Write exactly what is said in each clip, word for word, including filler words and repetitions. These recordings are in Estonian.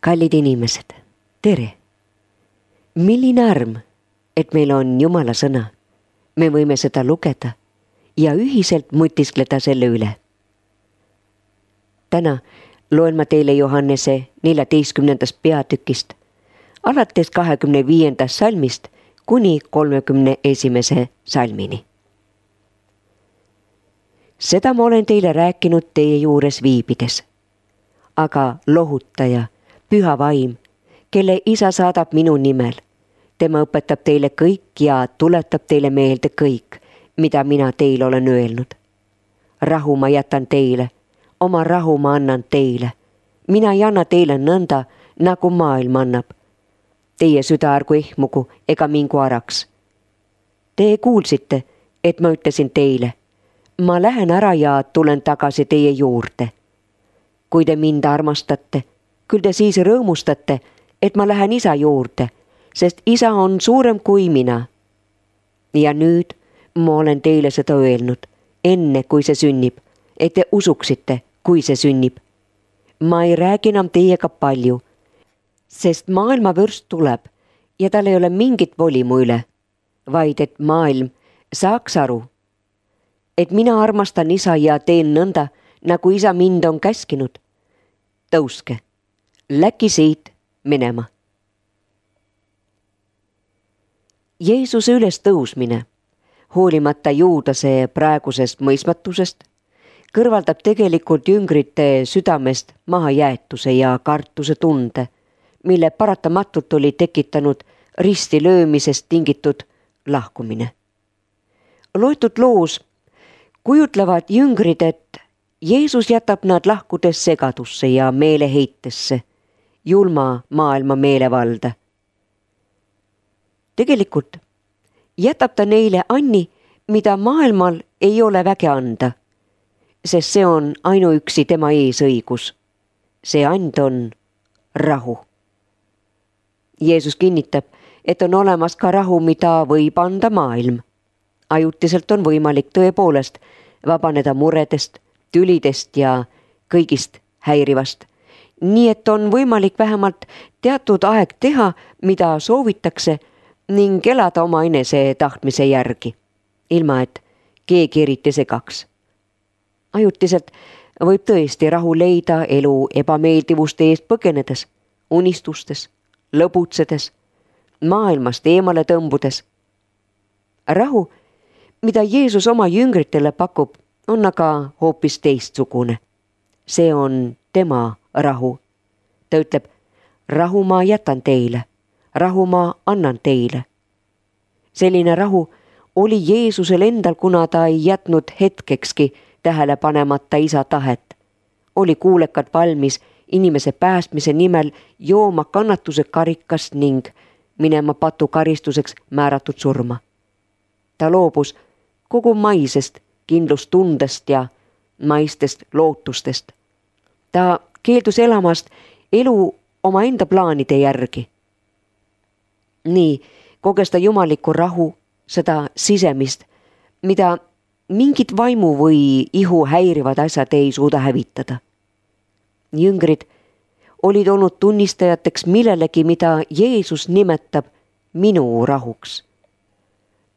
Kallid inimesed, tere! Milline arm, et meil on Jumala sõna. Me võime seda lugeda ja ühiselt mõtiskleda selle üle. Täna loen ma teile Johannese neljateistkümnendast peatükist, alates kahekümne viiendast salmist kuni kolmekümne esimese salmini. Seda ma olen teile rääkinud teie juures viibides, aga lohutaja, püha vaim, kelle isa saadab minu nimel, tema õpetab teile kõik ja tuletab teile meelde kõik, mida mina teile olen öelnud. Rahu ma jätan teile, oma rahu ma annan teile. Mina ei anna teile nõnda, nagu maailm annab. Teie süda ärgu ehmugu ega mingu araks. Te kuulsite, et ma ütlesin teile, ma lähen ära ja tulen tagasi teie juurde. Kui te mind armastate, küll te siis rõõmustate, et ma lähen isa juurde, sest isa on suurem kui mina. Ja nüüd ma olen teile seda öelnud, enne kui see sünnib, et te usuksite, kui see sünnib. Ma ei räägi enam teiega palju, sest maailma vürst tuleb ja tal ei ole mingit voli mu üle, vaid et maailm saaks aru, et mina armastan isa ja teen nõnda, nagu isa mind on käskinud. Tõuske, läki siit minema. Jeesuse üles tõusmine, hoolimata juudase praegusest mõistmatusest, kõrvaldab tegelikult jüngrite südamest mahajäetuse ja kartuse tunde, mille paratamatult oli tekitanud risti löömisest tingitud lahkumine. Loetud loos kujutlevad jüngrid, et Jeesus jätab nad lahkudes segadusse ja meeleheitesse, julma maailma meelevalda. Tegelikult jätab ta neile anni, mida maailmal ei ole väge anda, sest see on ainuüksi tema eesõigus. See and on rahu. Jeesus kinnitab, et on olemas ka rahu, mida võib anda maailm. Ajutiselt on võimalik tõepoolest vabaneda muredest, tülidest ja kõigist häirivast. Nii et on võimalik vähemalt teatud aeg teha, mida soovitakse ning elada oma enese tahtmise järgi, ilma et keegi eriti segaks. Ajutiselt võib tõesti rahu leida elu ebameeldivuste eest põgenedes, unistustes, lõbutsedes, maailmast eemale tõmbudes. Rahu, mida Jeesus oma jüngritele pakub, on aga hoopis teistsugune. See on tema rahu. Ta ütleb, rahu ma jätan teile, rahu ma annan teile. Selline rahu oli Jeesusel endal, kuna ta ei jätnud hetkekski tähele panemata isa tahet. Oli kuulekalt valmis inimese päästmise nimel jooma kannatuse karikast ning minema patu karistuseks määratud surma. Ta loobus kogu maisest kindlustundest ja maistest lootustest. Ta keeldus elamast elu omaenda plaanide järgi. Nii koges ta jumalikku rahu, seda sisemist, mida mingit vaimu või ihu häirivad asjad ei suuda hävitada. Jüngrid olid olnud tunnistajateks millelegi, mida Jeesus nimetab minu rahuks.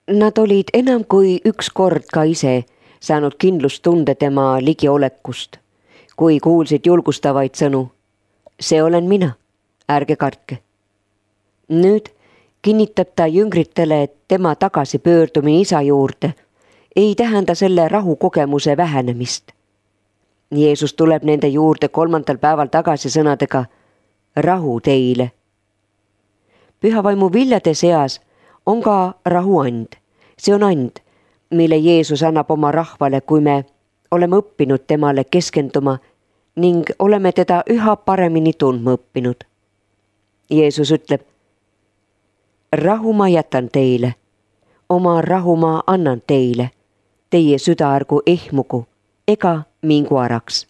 Nad olid enam kui üks kord ka ise saanud kindlustunde tema ligiolekust, kui kuulsid julgustavaid sõnu. See olen mina, ärge kartke. Nüüd kinnitab ta jüngritele, et tema tagasipöördumine isa juurde ei tähenda selle rahukogemuse vähenemist. Jeesus tuleb nende juurde kolmandal päeval tagasi sõnadega rahu teile. Pühavaimu viljade seas on ka rahuand. See on and, mille Jeesus annab oma rahvale, kui me oleme õppinud temale keskenduma ning oleme teda üha paremini tundma õppinud. Jeesus ütleb, rahu ma jätan teile, oma rahu ma annan teile, teie süda ärgu ehmugu ega mingu araks.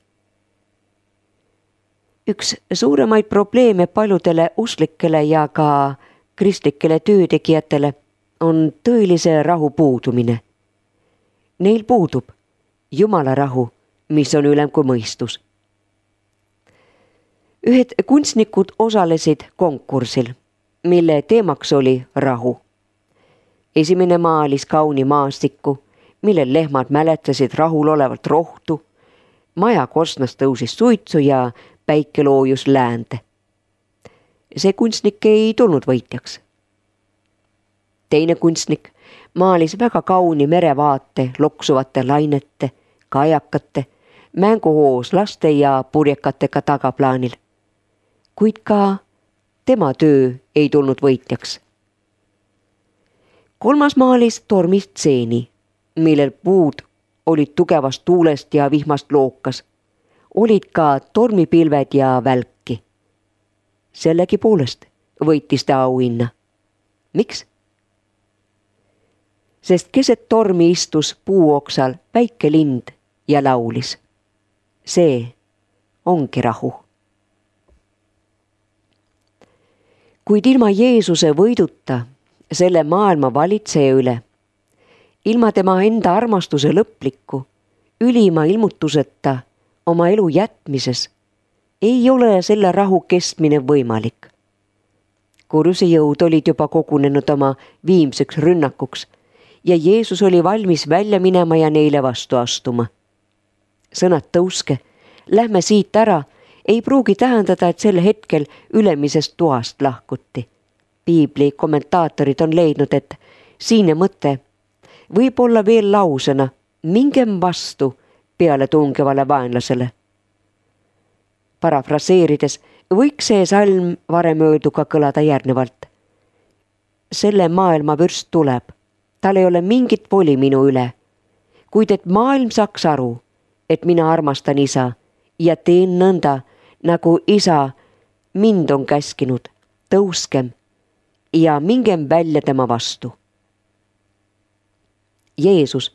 Üks suuremaid probleeme paljudele usklikele ja ka kristlikele töötegijatele on tõelise rahu puudumine. Neil puudub Jumala rahu, mis on ülem kui mõistus. Ühed kunstnikud osalesid konkursil, mille teemaks oli rahu. Esimene maalis kauni maastikku, millel lehmad mäletasid rahul olevalt rohtu. Maja korstnast tõusis suitsu ja päike loojus läände. See kunstnik ei tulnud võitjaks. Teine kunstnik maalis väga kauni merevaate loksuvate lainete, kajakate, mänguhoos laste ja purjekatega tagaplaanil. Kuid ka tema töö ei tulnud võitjaks. Kolmas maalis tormistseeni, millel puud olid tugevast tuulest ja vihmast lookas. Olid ka tormipilved ja välki. Sellegi poolest võitis ta auhinna. Miks? Sest keset tormi istus puuoksal väike lind ja laulis. See ongi rahu. Kuid ilma Jeesuse võiduta selle maailma valitseja üle, ilma tema enda armastuse lõplikku, ülima ilmutuseta oma elu jätmises, ei ole selle rahu kestmine võimalik. Kurjuse jõud olid juba kogunenud oma viimseks rünnakuks ja Jeesus oli valmis välja minema ja neile vastu astuma. Sõnad tõuske, lähme siit ära, ei pruugi tähendada, et sel hetkel ülemisest toast lahkuti. Piibli kommentaatorid on leidnud, et siine mõte võib olla veel lausena mingem vastu peale tungevale vaenlasele. Parafraseerides võiks see salm varem öelduga kõlada järgnevalt. Selle maailma vürst tuleb, tal ei ole mingit voli minu üle, kuid et maailm saaks aru, et mina armastan isa ja teen nõnda, nagu isa mind on käskinud, tõuskem ja mingem välja tema vastu. Jeesus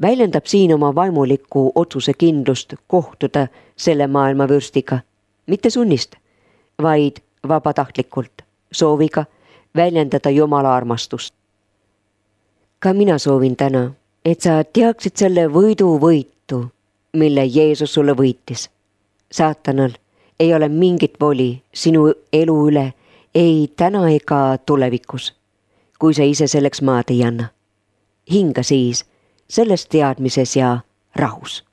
väljendab siin oma vaimulikku otsuse kindlust kohtuda selle maailma vürstiga, mitte sunnist, vaid vabatahtlikult, sooviga väljendada Jumala armastust. Ka mina soovin täna, et sa teaksid selle võidu võitu, mille Jeesus sulle võitis. Saatanal ei ole mingit voli sinu elu üle, ei täna ega tulevikus, kui sa ise selleks maad ei anna. Hinga siis selles teadmises ja rahus.